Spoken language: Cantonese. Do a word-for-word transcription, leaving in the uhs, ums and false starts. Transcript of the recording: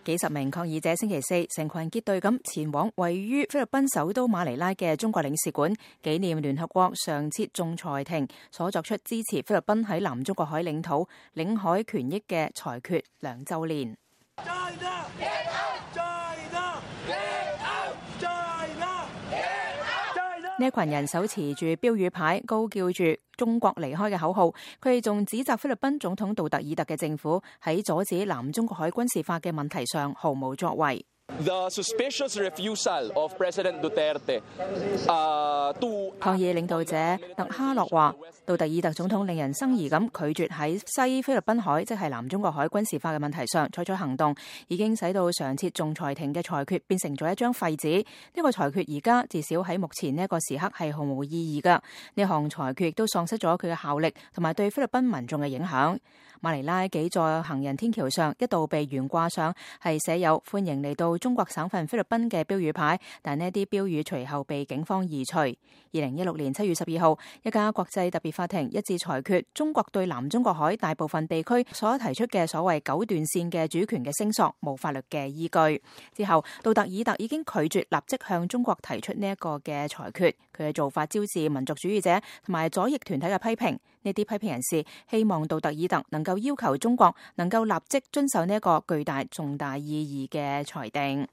幾十名抗議者星期四成群結隊咁前往位於菲律賓首都馬尼拉嘅中國領事館，紀念聯合國常設仲裁庭所作出支持菲律賓喺南中國海領土領海權益嘅裁決兩週年。呢群人手持住標語牌，高叫住中國離開嘅口號。佢哋仲指責菲律賓總統杜特爾特嘅政府喺阻止南中國海軍事化嘅問題上毫無作為。The suspicious refusal of President Duterte, uh, to... 抗議領導者特哈洛話，杜特爾特總統令人生疑咁拒絕喺西菲律賓海，即係南中國海軍事化嘅問題上採取行動，已經使到常設仲裁庭嘅裁決變成咗一張廢紙。呢個裁決而家至少喺目前呢一個時刻係毫無意義㗎。呢項裁決亦都喪失咗佢嘅效力同埋對菲律賓民眾嘅影響。馬尼拉幾座行人天橋上一度被懸掛上係寫有歡迎嚟到中國省份菲律賓嘅標語牌，但呢啲標語隨後被警方移除。二零一六年七月十二號，一家國際特別法庭一致裁決中國對南中國海大部分地區所提出嘅所謂九段線嘅主權嘅聲索冇法律嘅依據。之後，杜特爾特已經拒絕立即向中國提出呢一個嘅裁決，佢嘅做法招致民族主義者同埋左翼團體嘅批評。呢啲批評人士希望杜特爾特能夠要求中國能夠立即遵守呢一個巨大重大意義嘅裁定。